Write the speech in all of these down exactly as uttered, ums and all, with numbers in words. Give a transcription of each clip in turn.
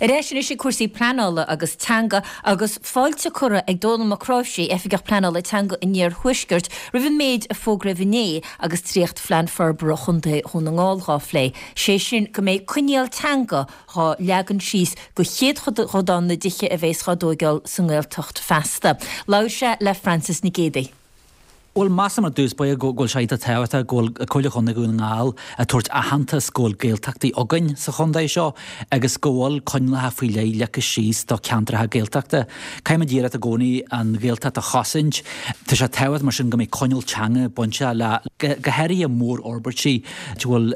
Ar ais anois ag cúrsaí pleanála agus teanga agus fáilte curtha ag Dónall Mac Cráimhsí, Oifigeach Pleanála Teanga an Iarthuaiscirt, roimh an méid a fógraíodh inné agus dréachtphlean forbartha Chontae Dhún na nGall dhá phlé, sé sin go mbeidh coinníoll teanga dhá leagan síos go chéadchodán na dtithe a bheas dhá dtóigeáil sa nGaeltacht feasta. Labhair sé le Frances Nic Géadaigh. Bhuel, measaim ar dtús báire go bhfuil sé iontach tábhachtach go bhfuil Comhairle Chontae Dhún na nGall ag tabhairt aitheantas go bhfuil Gaeltachtaí againn sa chontae seo agus go bhfuil coinníollacha faoi leith leagtha síos do cheantracha Gaeltachta. Caithfimid iarracht i gcónaí an Ghaeltacht a chosaint. Tá sé tábhachtach mar sin go mbeidh coinníoll teanga bainte le go háirithe mórfhorbairtí a bhfuil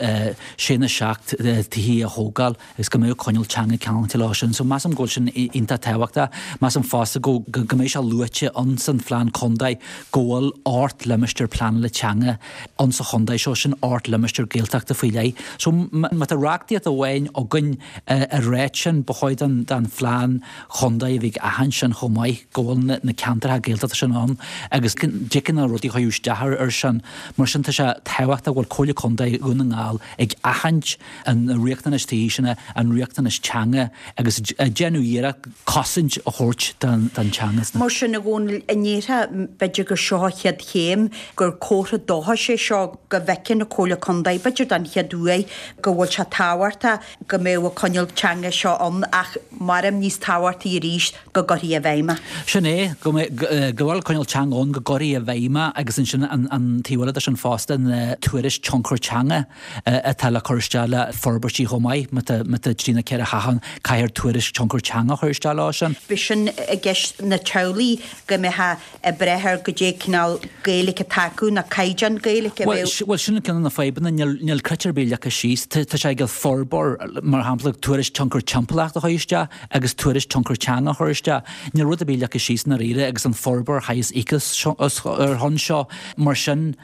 sé nó seacht tithe a thógáil agus go mbeadh coinníoll teanga ceangailte leo sin. So measaim go bhfuil sin iontach tábhachtach. Measaim fosta go go mbeidh sé luaite ann san phlean contae go bhfuil ocht limistéar pleanála teanga ann sa chontae seo sin ocht limistéar Gaeltachta faoi leith. So má tá reachtaíocht amháin againn a ráit sin ba chóir don don phlean chontae a bheith ag aithint sin chomh maith go bhfuil na, na ceantracha Gaeltachta sin ann agus dtiocfaidh na rudaí chuir isteach ar sin. Mar sin tá sé tábhachtach go bhfuil Comhairle Contae Dhún na nGall ag aithint an riachtanais tithe sin an riachtanais teanga agus ag déanamh iarracht cosaint a thabhairt don don teanga. Mar sin a Dhónaill an ndéarfá b'fhéidir gur seo an chéad chéim gur comhartha dóchais é seo go bhfeiceann an Comhairle Contae b'fhéidir don chéad uair go bhfuil sé tábhachtach go mbeadh an coinníoll teanga seo ann ach maram níos tábhachtaí arís go gcuirfí i bhfeidhm é. Sin é go go bhfuil coinníoll teanga ann go gcuirfí i bhfeidhm é agus ansin an an taobh eile de sin fosta na tuairisc tionchar teanga atá le cur isteach le forbairtí chomh maith má tá má tá trí nó ceithre theach ann caithfear tuairisc tionchar teanga a chur isteach leo sin. B'é sin i gceist na teaghlaigh go mbeadh ag brath ar goidé cineál Gaeilge atá acu nó caighdeán Gaeilge a bheadh. Bhuel sin ceann de na fadhbanna níl níl critéir ar bith leagtha síos tá sé ag forbóir mar shampla tuairisc tionchar timpeallachta a chur isteach agus tuairisc tionchar teanga a chur isteach. Níl rud ar bith leagtha síos dáiríre agus an forbóir chaithfidh íoc ar shon seo mar sin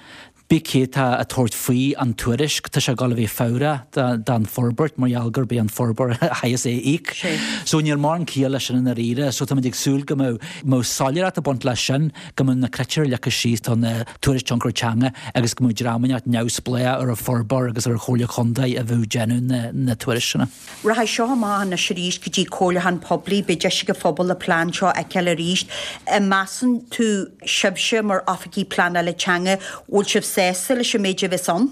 bí cé atá ag tabhairt faoi an tuairisc tá sé ag dul a bheith fabhrach don forbairt mar gheall gurb é an forbóir a chaithfeas é a íoc. So níl mórán ciall leis sin i ndáiríre, so táimid ag súil go mbeadh mbeadh soiléireacht ag baint leis sin, go mbeadh na critéir leagtha síos don tuairisc tionchar teanga agus go mbeadh dream inteacht neamhspleách ar an forbóir agus ar an Chomhairle Chontae a bheadh déanamh na, na tuairisc sin. Rachaidh seo amach anois arís go dtí comhairliúchán poiblí, beidh deis ag an phobal an plean seo a fheiceáil arís. An measann tú sibhse mar oifigigh pleanála teanga, bhfuil sibh sásta leis an méid a bheas ann?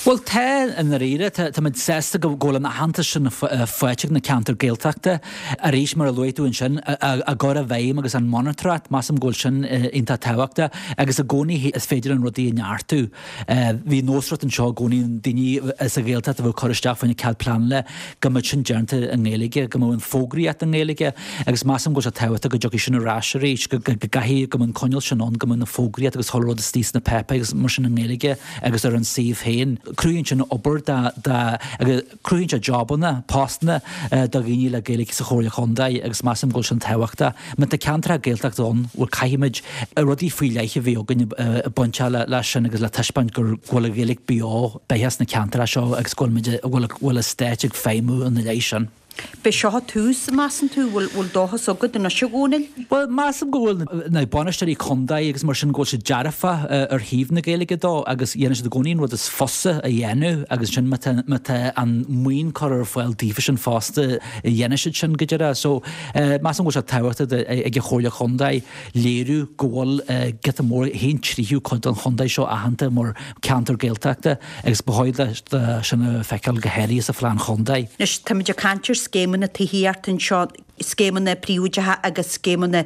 Bhuel tá i ndáiríre, táimid sásta go bhfuil an aitheantas sin faighte ag na ceantair Gaeltachta. Arís mar a luaigh tú ansin, a gcur i bhfeidhm agus an monatóireacht, measaim go bhfuil sin iontach tábhachtach agus i gcónaí is féidir an rudaí a neartú. Bhí nósmhaireacht anseo i gcónaí daoine sa Ghaeltacht a bheadh cur isteach faoina cead pleanála go mbeadh sin déanta i nGaeilge, go mbeadh an fógraíocht i nGaeilge agus measaim go bhfuil sé tábhachtach go dtiocfaidh sin ar ais arís, go gcaithfidh go mbeadh an coinníoll sin ann, go mbeadh na fógraíocht agus chuile rud istigh sna páipéir agus mar sin i nGaeilge agus ar an suíomh féin. Cruthaíonn sin obair do do agus cruthaíonn sé jobanna, postanna do dhaoine le Gaeilge sa Chomhairle Chontae agus measaim go bhfuil sin tábhachtach. Má tá ceantracha Gaeltachta ann, bhuel caithfimid rudaí faoi leith a bheith againn ag baint leis sin agus le taispeáint gur go bhfuil an Ghaeilge beo beathach sna ceantracha seo agus go bhfuil muid go bhfuil go bhfuil an stát ag feidhmiú ina leith sin. B'é seo an tús, measann tú? Bhfuil bhfuil dóchas agat anois a Dhónaill? Bhuel, measaim go bhfuil na bainisteoirí contae agus mar sin go bhfuil siad dearfach ar thaobh na Gaeilge dó agus dhéanann siad i gcónaí an rud is fusa a dhéanamh agus sin má tá má tá an maoin curtha ar fáil daofa sin fosta dhéanfaidh siad sin go deireadh. So measaim go bhfuil sé tábhachtach ag an Chomhairle Chontae léiriú go bhfuil giota mór haon tríú cuid den chontae seo aitheanta mar ceantar Gaeltachta agus ba chóir do sin a feiceáil go háirithe sa phlean chontae. Anois táimid ag caint ar scéimeanna tithíochta anseo, scéimeanna príobháideacha agus scéimeanna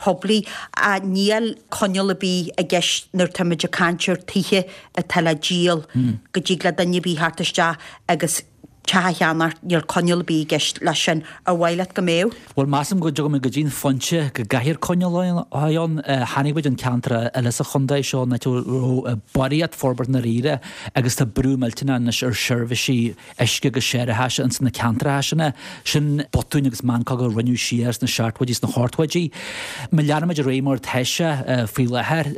poiblí. Níl coinníoll ar bith i gceist nuair táimid ag caint ar tithe atá le díol go dtig le duine ar bith theacht isteach agus teach a cheannacht, níl coinníoll ar bith i gceist leis sin. Ar mhaith leat go mbeadh? Bhuel, measaim go dtiocfaimid go dtí an phointe go gcaithfear coinníoll a bheith ann. Chonaic muid an ceantar eile sa chontae seo, an áit a raibh barraíocht forbairt i ndáiríre agus tá brú millteanach anois ar sheirbhísí uisce agus séarachais ins na ceantracha sin. Sin botúin agus meancóga a rinneadh siar sna seachtóidí sna hochtóidí. Má leanaimid ar aghaidh mar atá sé faoi láthair,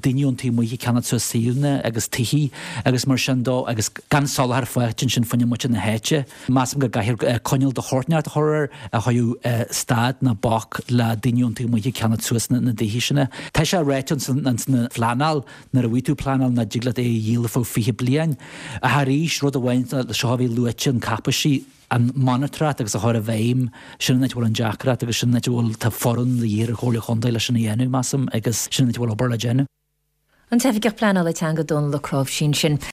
daoine ón taobh amuigh ag ceannacht suas suíomhanna agus tithe agus mar sin dó agus gan soláthar faighte ansin faoina muintir na háite. háite. Measaim go gcaithfear coinníoll de shórt inteacht a chur air a chuirfeadh stad ná bac le daoine ón taobh amuigh ag ceannacht suas na dtithe sin. Tá sé ráite ins na phleanáil nuair a bhí tú pleanáil nach dtig leat é a dhíol ar feadh fiche bliain. Ach arís, rud amháin seo a bhí luaite an cáipéisí, an monatóireacht agus a chur i bhfeidhm, sin an áit a bhfuil an deacracht agus sin an áit a bhfuil tá foireann de dhíth ar an Chomhairle Chontae leis sin a dhéanamh, measaim, agus sin an áit a bhfuil obair le déanamh. An tOifigeach Pleanála Teanga Dónal Ó Cnáimhsí ansin.